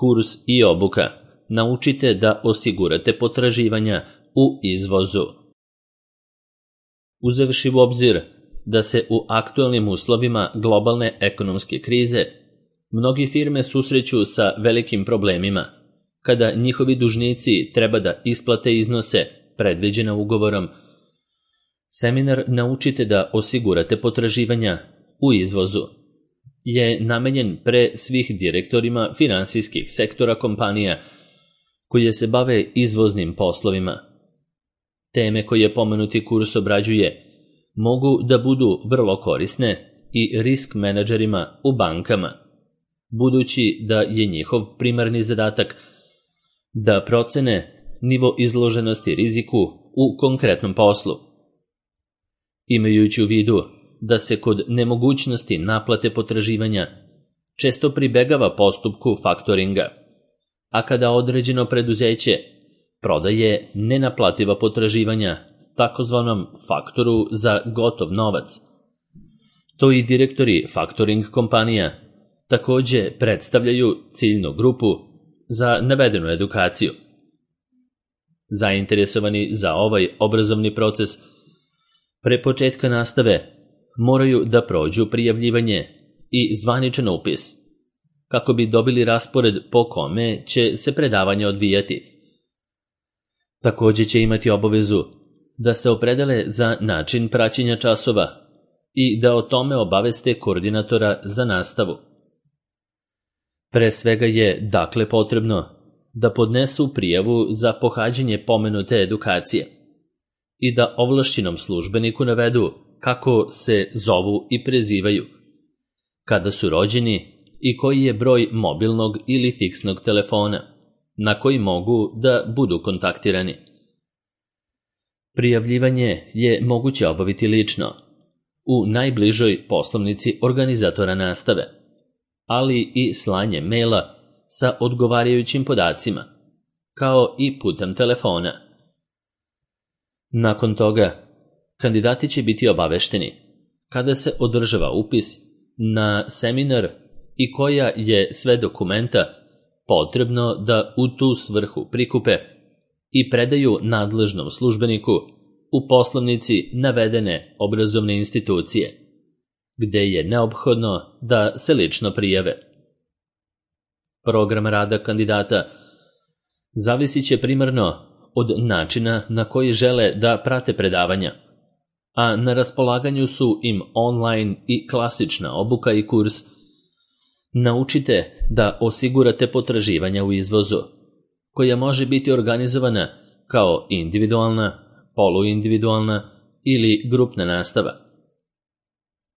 Kurs i obuka. Naučite da osigurate potraživanja u izvozu. Uzevši u obzir da se u aktualnim uslovima globalne ekonomske krize mnogi firme susreću sa velikim problemima kada njihovi dužnici treba da isplate iznose predviđene ugovorom, seminar Naučite da osigurate potraživanja u izvozu je namenjen pre svih direktorima finansijskih sektora kompanija koje se bave izvoznim poslovima. Teme koje pomenuti kurs obrađuje mogu da budu vrlo korisne i risk menadžerima u bankama, budući da je njihov primarni zadatak da procene nivo izloženosti riziku u konkretnom poslu. Imajući u vidu da se kod nemogućnosti naplate potraživanja često pribegava postupku faktoringa, a kada određeno preduzeće prodaje nenaplativa potraživanja takozvanom faktoru za gotov novac, to i direktori faktoring kompanija takođe predstavljaju ciljnu grupu za navedenu edukaciju. Zainteresovani za ovaj obrazovni proces pre početka nastave moraju da prođu prijavljivanje i zvaničan upis, kako bi dobili raspored po kome će se predavanje odvijati. Takođe će imati obavezu da se opredele za način praćenja časova i da o tome obaveste koordinatora za nastavu. Pre svega je dakle potrebno da podnesu prijavu za pohađanje pomenute edukacije i da ovlašćenom službeniku navedu kako se zovu i prezivaju, kada su rođeni i koji je broj mobilnog ili fiksnog telefona na koji mogu da budu kontaktirani. Prijavljivanje je moguće obaviti lično u najbližoj poslovnici organizatora nastave, ali i slanje maila sa odgovarajućim podacima, kao i putem telefona. Nakon toga, kandidati će biti obavešteni kada se održava upis na seminar i koja je sve dokumenta potrebno da u tu svrhu prikupe i predaju nadležnom službeniku u poslovnici navedene obrazovne institucije, gde je neophodno da se lično prijave. Program rada kandidata zavisit će primarno od načina na koji žele da prate predavanja, a na raspolaganju su im online i klasična obuka i kurs Naučite da osigurate potraživanja u izvozu, koja može biti organizovana kao individualna, poluindividualna ili grupna nastava.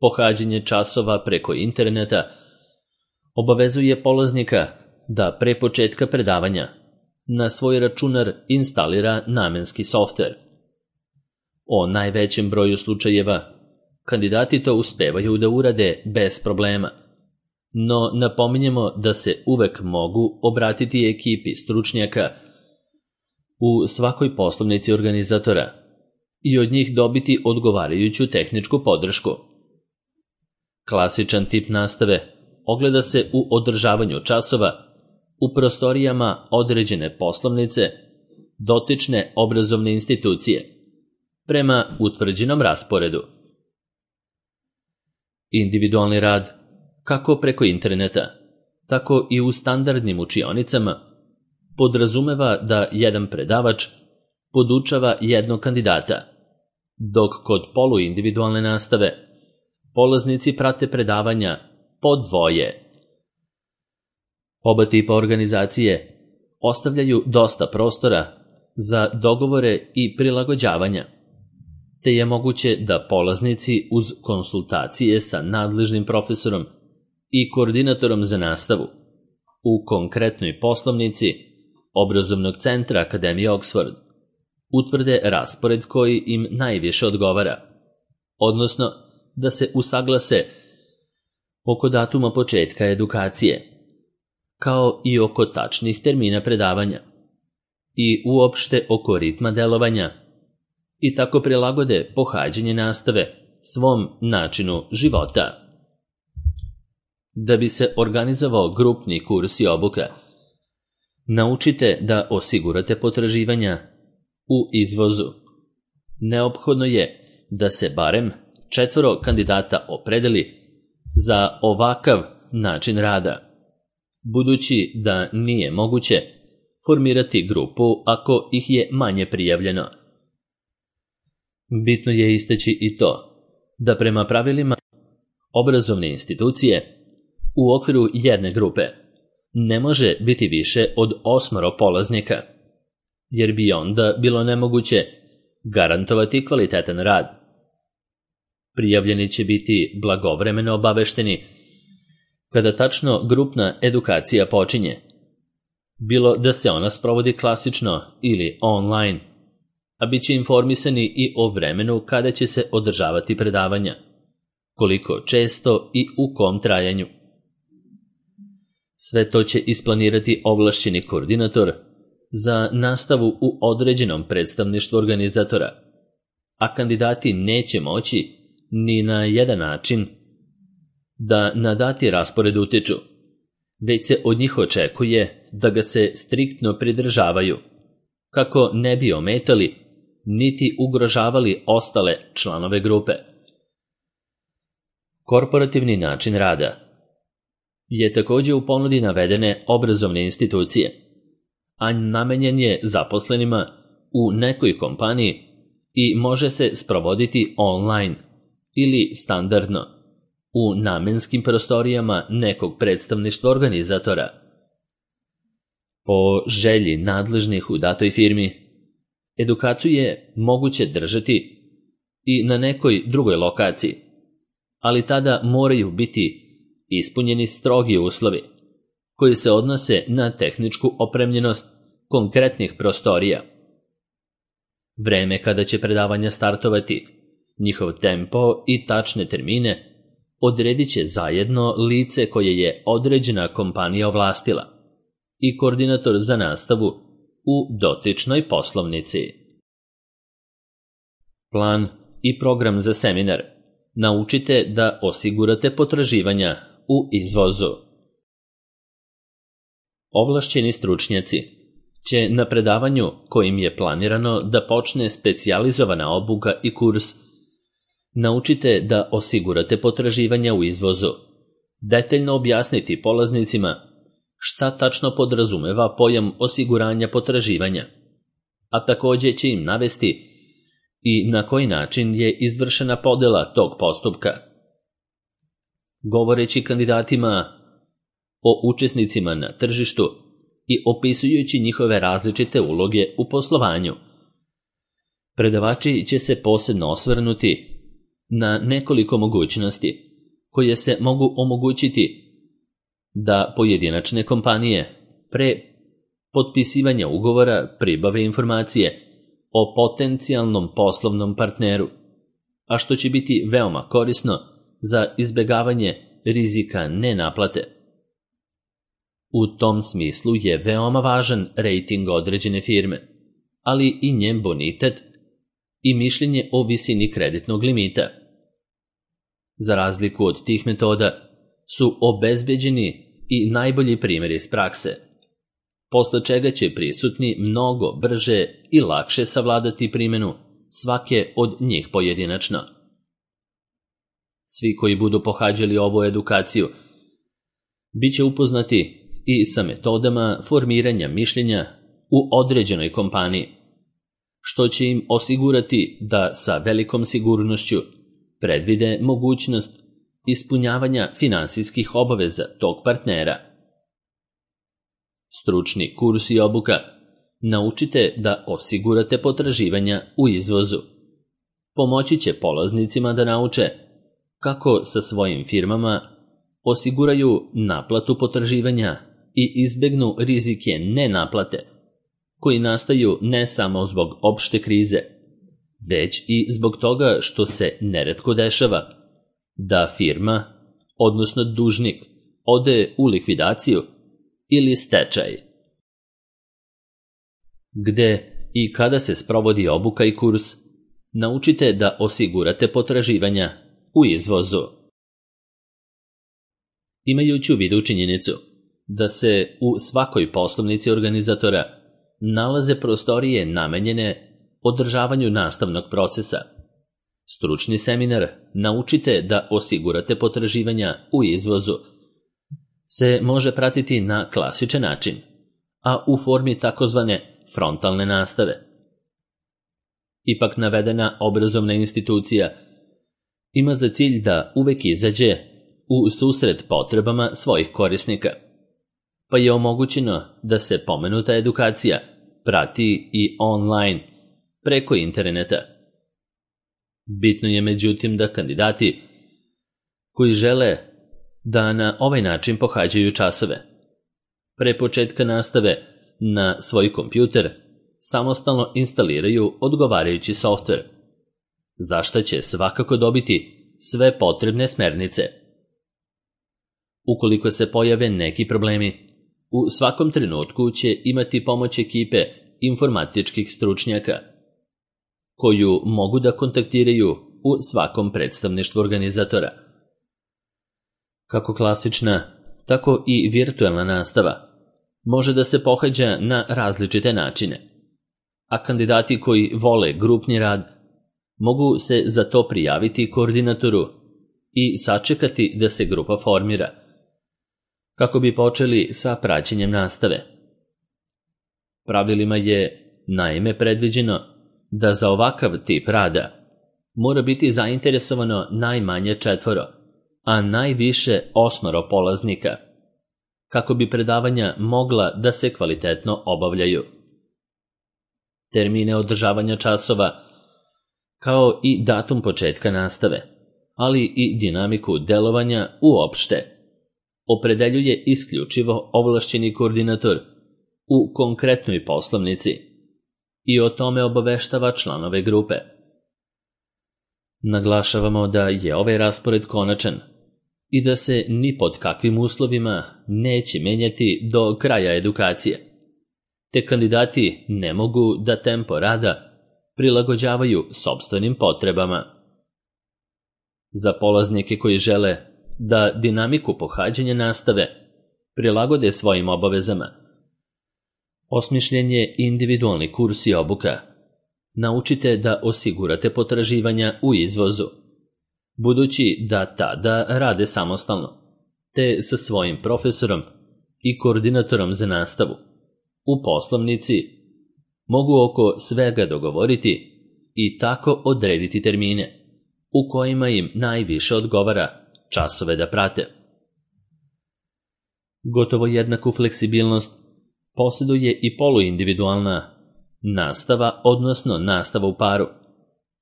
Pohađanje časova preko interneta obavezuje polaznika da pre početka predavanja na svoj računar instalira namenski softver. O najvećem broju slučajeva kandidati to uspevaju da urade bez problema, no napominjemo da se uvek mogu obratiti ekipi stručnjaka u svakoj poslovnici organizatora i od njih dobiti odgovarajuću tehničku podršku. Klasičan tip nastave ogleda se u održavanju časova u prostorijama određene poslovnice dotične obrazovne institucije prema utvrđenom rasporedu. Individualni rad, kako preko interneta, tako i u standardnim učionicama, podrazumeva da jedan predavač podučava jednog kandidata, dok kod poluindividualne nastave polaznici prate predavanja po dvoje. Oba tipa organizacije ostavljaju dosta prostora za dogovore i prilagođavanja, te je moguće da polaznici uz konsultacije sa nadležnim profesorom i koordinatorom za nastavu u konkretnoj poslovnici obrazovnog centra Akademije Oxford utvrde raspored koji im najviše odgovara, odnosno da se usaglase oko datuma početka edukacije, kao i oko tačnih termina predavanja i uopšte oko ritma delovanja i tako prilagode pohađanje nastave svom načinu života. Da bi se organizovao grupni kurs i obuka, Naučite da osigurate potraživanja u izvozu. Neophodno je da se barem 4 kandidata opredeli za ovakav način rada, budući da nije moguće formirati grupu ako ih je manje prijavljeno. Bitno je istaći i to da prema pravilima obrazovne institucije u okviru jedne grupe ne može biti više od 8 polaznika, jer bi onda bilo nemoguće garantovati kvalitetan rad. Prijavljeni će biti blagovremeno obavešteni kada tačno grupna edukacija počinje, bilo da se ona sprovodi klasično ili online, a bit će informisani i o vremenu kada će se održavati predavanja, koliko često i u kom trajanju. Sve to će isplanirati ovlašćeni koordinator za nastavu u određenom predstavništvu organizatora, a kandidati neće moći ni na jedan način da na dati raspored utiču, već se od njih očekuje da ga se striktno pridržavaju, kako ne bi ometali niti ugrožavali ostale članove grupe. Korporativni način rada je također u ponudi navedene obrazovne institucije, a namenjen je zaposlenima u nekoj kompaniji i može se sprovoditi online ili standardno u namenskim prostorijama nekog predstavništva organizatora. Po želji nadležnih u datoj firmi, edukaciju je moguće držati i na nekoj drugoj lokaciji, ali tada moraju biti ispunjeni strogi uslovi koji se odnose na tehničku opremljenost konkretnih prostorija. Vreme kada će predavanja startovati, njihov tempo i tačne termine odredit će zajedno lice koje je određena kompanija ovlastila i koordinator za nastavu u dotičnoj poslovnici. Plan i program za seminar. Naučite da osigurate potraživanja u izvozu. Ovlašćeni stručnjaci će na predavanju kojim je planirano da počne specijalizovana obuka i kurs naučite da osigurate potraživanja u izvozu, detaljno objasniti polaznicima šta tačno podrazumeva pojam osiguranja potraživanja, a također će im navesti i na koji način je izvršena podela tog postupka. Govoreći kandidatima o učesnicima na tržištu i opisujući njihove različite uloge u poslovanju, predavači će se posebno osvrnuti na nekoliko mogućnosti koje se mogu omogućiti da pojedinačne kompanije pre potpisivanja ugovora pribave informacije o potencijalnom poslovnom partneru, a što će biti veoma korisno za izbjegavanje rizika nenaplate. U tom smislu je veoma važan rejting određene firme, ali i njen bonitet i mišljenje o visini kreditnog limita. Za razliku od tih metoda su obezbeđeni i najbolji primjeri iz prakse, posle čega će prisutni mnogo brže i lakše savladati primjenu svake od njih pojedinačno. Svi koji budu pohađali ovu edukaciju bit će upoznati i sa metodama formiranja mišljenja u određenoj kompaniji, što će im osigurati da sa velikom sigurnošću predvide mogućnost ispunjavanja finansijskih obaveza tog partnera. Stručni kurs i obuka. Naučite da osigurate potraživanja u izvozu. Pomoći će polaznicima da nauče kako sa svojim firmama osiguraju naplatu potraživanja i izbegnu rizike nenaplate, koji nastaju ne samo zbog opšte krize, već i zbog toga što se neretko dešava da firma, odnosno dužnik, ode u likvidaciju ili stečaj. Gde i kada se sprovodi obuka i kurs, naučite da osigurate potraživanja u izvozu. Imajući u vidu činjenicu da se u svakoj poslovnici organizatora nalaze prostorije namenjene održavanju nastavnog procesa. Stručni seminar "Naučite da osigurate potraživanja u izvozu" se može pratiti na klasičan način, a u formi takozvane frontalne nastave. Ipak navedena obrazovna institucija ima za cilj da uvek izađe u susret potrebama svojih korisnika, pa je omogućeno da se pomenuta edukacija prati i online preko interneta. Bitno je međutim da kandidati koji žele da na ovaj način pohađaju časove, pre početka nastave na svoj kompjuter samostalno instaliraju odgovarajući softver, za što će svakako dobiti sve potrebne smernice. Ukoliko se pojave neki problemi, u svakom trenutku će imati pomoć ekipe informatičkih stručnjaka, koju mogu da kontaktiraju u svakom predstavništvu organizatora. Kako klasična, tako i virtualna nastava može da se pohađa na različite načine, a kandidati koji vole grupni rad mogu se za to prijaviti koordinatoru i sačekati da se grupa formira, kako bi počeli sa praćenjem nastave. Pravilima je naime predviđeno da za ovakav tip rada mora biti zainteresovano najmanje 4, a najviše 8 polaznika, kako bi predavanja mogla da se kvalitetno obavljaju. Termine održavanja časova, kao i datum početka nastave, ali i dinamiku delovanja uopšte, opredeljuje isključivo ovlašćeni koordinator u konkretnoj poslovnici i o tome obaveštava članove grupe. Naglašavamo da je ovaj raspored konačan i da se ni pod kakvim uslovima neće menjati do kraja edukacije, te kandidati ne mogu da tempo rada prilagođavaju sopstvenim potrebama. Za polaznike koji žele da dinamiku pohađanja nastave prilagode svojim obavezama, osmišljen je individualni kurs i obuka "Naučite da osigurate potraživanja u izvozu", budući da tada rade samostalno, te sa svojim profesorom i koordinatorom za nastavu u poslovnici mogu oko svega dogovoriti i tako odrediti termine u kojima im najviše odgovara časove da prate. Gotovo jednaku fleksibilnost posjeduje i poluindividualna nastava, odnosno nastava u paru,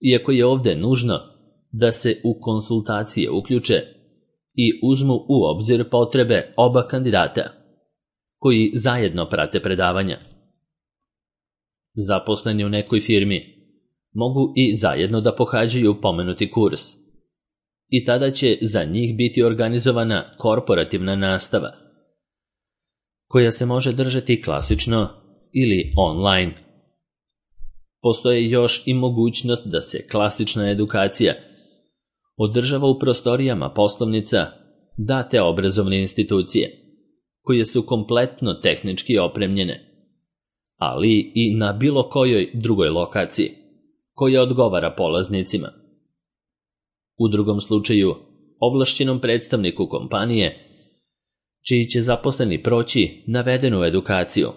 iako je ovde nužno da se u konsultacije uključe i uzmu u obzir potrebe oba kandidata, koji zajedno prate predavanja. Zaposleni u nekoj firmi mogu i zajedno da pohađaju pomenuti kurs, i tada će za njih biti organizovana korporativna nastava, koja se može držati klasično ili online. Postoje još i mogućnost da se klasična edukacija održava u prostorijama poslovnica date obrazovne institucije, koje su kompletno tehnički opremljene, ali i na bilo kojoj drugoj lokaciji koja odgovara polaznicima. U drugom slučaju, ovlašćenom predstavniku kompanije, čiji će zaposleni proći navedenu edukaciju,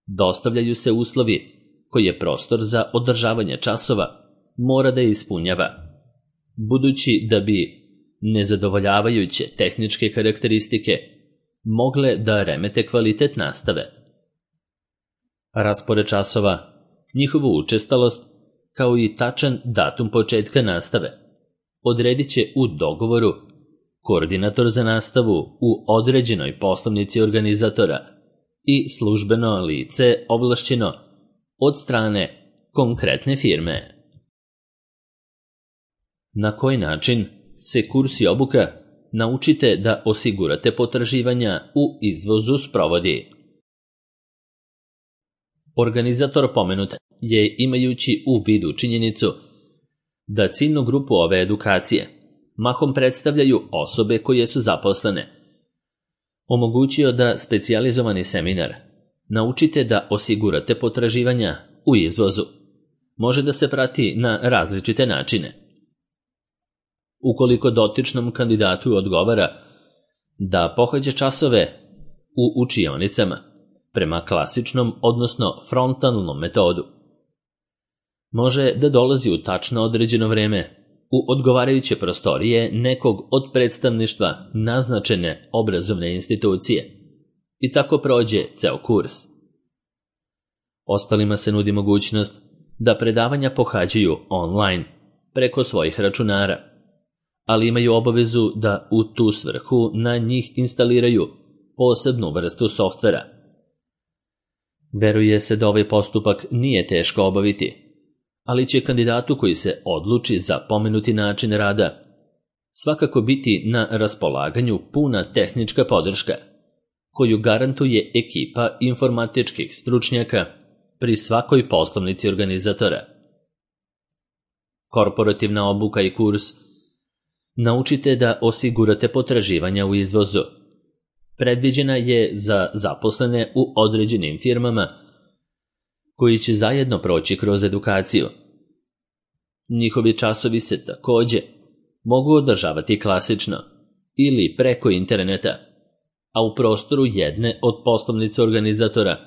dostavljaju se uslovi koje prostor za održavanje časova mora da ispunjava, budući da bi nezadovoljavajuće tehničke karakteristike mogle da remete kvalitet nastave. Raspored časova, njihovu učestalost, kao i tačan datum početka nastave odredit će u dogovoru koordinator za nastavu u određenoj poslovnici organizatora i službeno lice ovlašćeno od strane konkretne firme. Na koji način se kurs i obuka "Naučite da osigurate potraživanja u izvozu" sprovodi? Organizator pomenute je, imajući u vidu činjenicu da ciljnu grupu ove edukacije mahom predstavljaju osobe koje su zaposlene, omogućio da specijalizovani seminar Naučite da osigurate potraživanja u izvozu može da se prati na različite načine. Ukoliko dotičnom kandidatu odgovara da pohađa časove u učionicama prema klasičnom, odnosno frontalnom metodu, može da dolazi u tačno određeno vreme u odgovarajuće prostorije nekog od predstavništva naznačene obrazovne institucije i tako prođe ceo kurs. Ostalima se nudi mogućnost da predavanja pohađaju online preko svojih računara, ali imaju obavezu da u tu svrhu na njih instaliraju posebnu vrstu softvera. Veruje se da ovaj postupak nije teško obaviti, ali će kandidatu koji se odluči za pomenuti način rada svakako biti na raspolaganju puna tehnička podrška, koju garantuje ekipa informatičkih stručnjaka pri svakoj poslovnici organizatora. Korporativna obuka i kurs Naučite da osigurate potraživanja u izvozu predviđena je za zaposlene u određenim firmama koji će zajedno proći kroz edukaciju. Njihovi časovi se takođe mogu održavati klasično ili preko interneta, a u prostoru jedne od poslovnica organizatora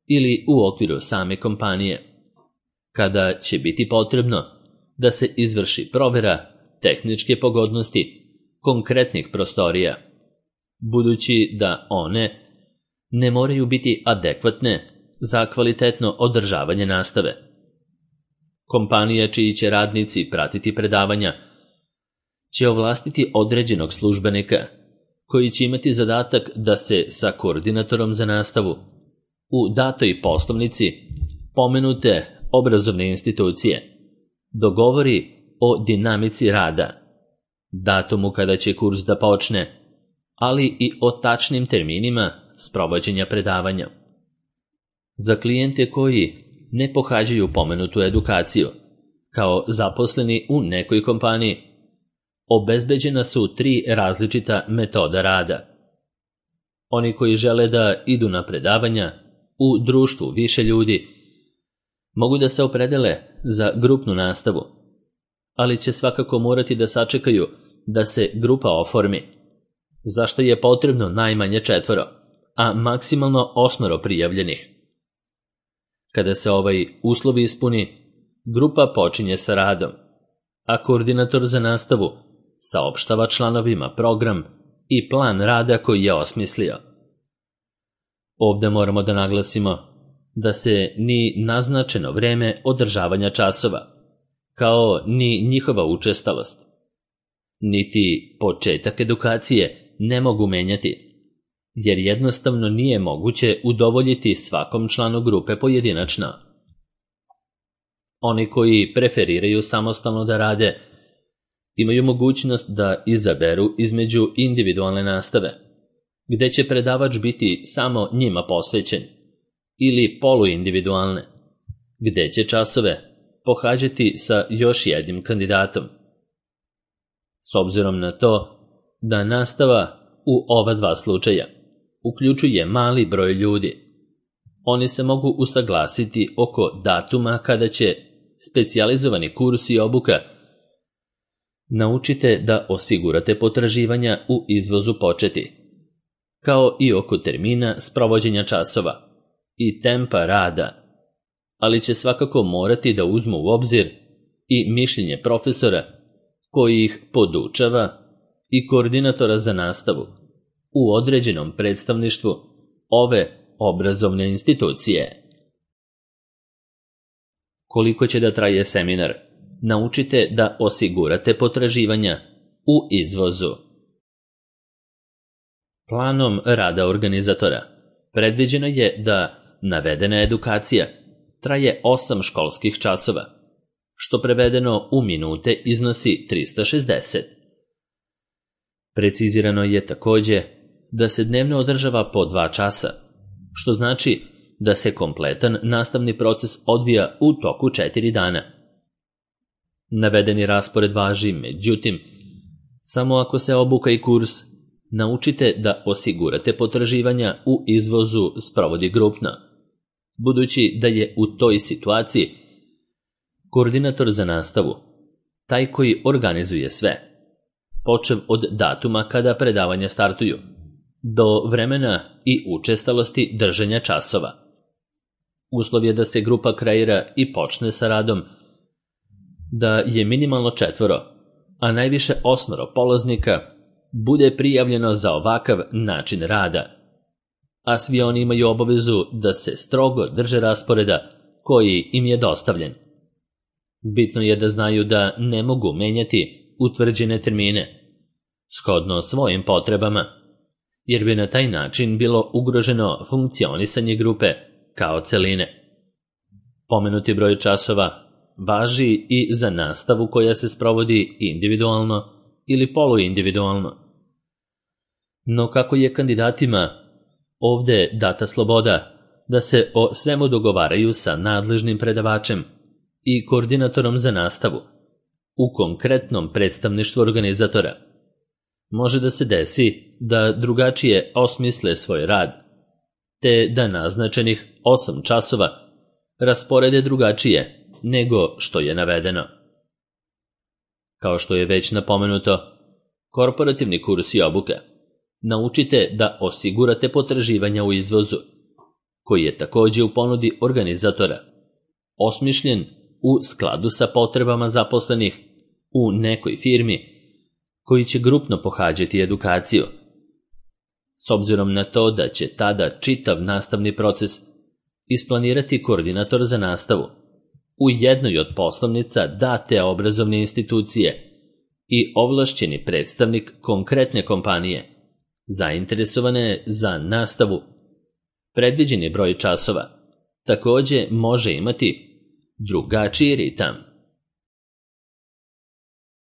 ili u okviru same kompanije, kada će biti potrebno da se izvrši provera tehničke pogodnosti konkretnih prostorija, budući da one ne moraju biti adekvatne za kvalitetno održavanje nastave. Kompanija čiji će radnici pratiti predavanja će ovlastiti određenog službenika koji će imati zadatak da se sa koordinatorom za nastavu u datoj poslovnici pomenute obrazovne institucije dogovori o dinamici rada, datumu kada će kurs da počne, ali i o tačnim terminima sprovođenja predavanja. Za klijente koji ne pohađaju pomenutu edukaciju, kao zaposleni u nekoj kompaniji, obezbeđena su 3 različita metoda rada. Oni koji žele da idu na predavanja u društvu više ljudi mogu da se opredele za grupnu nastavu, ali će svakako morati da sačekaju da se grupa oformi, za što je potrebno najmanje 4, a maksimalno 8 prijavljenih. Kada se ovaj uslov ispuni, grupa počinje sa radom, a koordinator za nastavu saopštava članovima program i plan rada koji je osmislio. Ovde moramo da naglasimo da se ni naznačeno vreme održavanja časova, kao ni njihova učestalost, niti početak edukacije ne mogu menjati, jer jednostavno nije moguće udovoljiti svakom članu grupe pojedinačno. Oni koji preferiraju samostalno da rade imaju mogućnost da izaberu između individualne nastave, gde će predavač biti samo njima posvećen, ili poluindividualne, gde će časove pohađati sa još jednim kandidatom. S obzirom na to da nastava u ova 2 slučaja uključuje mali broj ljudi, oni se mogu usaglasiti oko datuma kada će specijalizovani kurs i obuka Naučite da osigurate potraživanja u izvozu početi, kao i oko termina sprovođenja časova i tempa rada, ali će svakako morati da uzmu u obzir i mišljenje profesora koji ih podučava i koordinatora za nastavu u određenom predstavništvu ove obrazovne institucije. Koliko će da traje seminar? Naučite da osigurate potraživanja u izvozu. Planom rada organizatora predviđeno je da navedena edukacija traje 8 školskih časova, što prevedeno u minute iznosi 360. Precizirano je takođe da se dnevno održava po 2 časa, što znači da se kompletan nastavni proces odvija u toku 4 dana. Navedeni raspored važi, međutim, samo ako se obuka i kurs Naučite da osigurate potraživanja u izvozu sprovodi grupno, budući da je u toj situaciji koordinator za nastavu taj koji organizuje sve, počev od datuma kada predavanja startuju, do vremena i učestalosti držanja časova. Uslov je da se grupa kreira i počne sa radom, da je minimalno 4, a najviše 8 polaznika bude prijavljeno za ovakav način rada, a svi oni imaju obavezu da se strogo drže rasporeda koji im je dostavljen. Bitno je da znaju da ne mogu menjati utvrđene termine, shodno svojim potrebama, jer bi na taj način bilo ugroženo funkcionisanje grupe kao celine. Pomenuti broj časova važi i za nastavu koja se sprovodi individualno ili poluindividualno. No kako je kandidatima ovde data sloboda da se o svemu dogovaraju sa nadležnim predavačem i koordinatorom za nastavu u konkretnom predstavništvu organizatora, može da se desi da drugačije osmisle svoj rad, te da naznačenih 8 časova rasporede drugačije nego što je navedeno. Kao što je već napomenuto, korporativni kurs i obuka naučite da osigurate potraživanja u izvozu, koji je također u ponudi organizatora, osmišljen u skladu sa potrebama zaposlenih u nekoj firmi koji će grupno pohađati edukaciju, s obzirom na to da će tada čitav nastavni proces isplanirati koordinator za nastavu u jednoj od poslovnica date obrazovne institucije i ovlašćeni predstavnik konkretne kompanije zainteresovane za nastavu. Predviđeni broj časova također može imati drugačiji ritam.